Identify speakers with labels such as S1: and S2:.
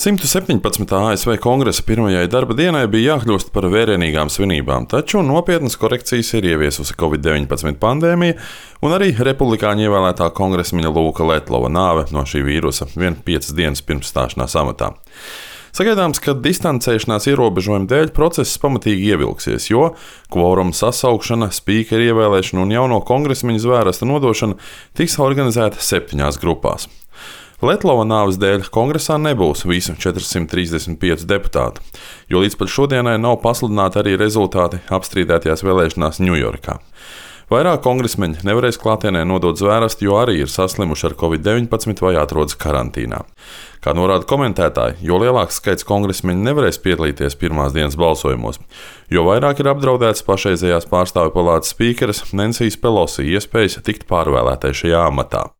S1: 117. ASV kongresa pirmajai darba dienai bija jākļūst par vērienīgām svinībām, taču nopietnas korekcijas ir ieviesusi Covid-19 pandēmija un arī republikāņu ievēlētā kongresmeņa Lūka Letlova nāve no šī vīrusa vien 5 dienas pirms stāšanās amatā. Sagaidāms, ka distancēšanās ierobežojumu dēļ process pamatīgi ievilksies, jo kvoruma sasaukšana, spīkera ievēlēšana un jauno kongresmeņu zvērsta nodošana tiks organizēta 7 grupās. Letlova nāves dēļ kongresā nebūs visu 435 deputātu, jo līdz pat šodienai nav pasludināti arī rezultāti apstrīdētajās vēlēšanās Ņujorkā. Vairāk kongresmeņi nevarēs klātienē nodot zvērstu, jo arī ir saslimuši ar Covid-19 vai atrodas karantīnā. Kā norāda komentētāji, jo lielāks skaits kongresmeņu nevarēs piedalīties pirmās dienas balsojumos, jo vairāk ir apdraudēts pašreizējās pārstāvju palātas spīkeres Nensijas Pelosi iespējas tikt pārvēlētai šajā amatā.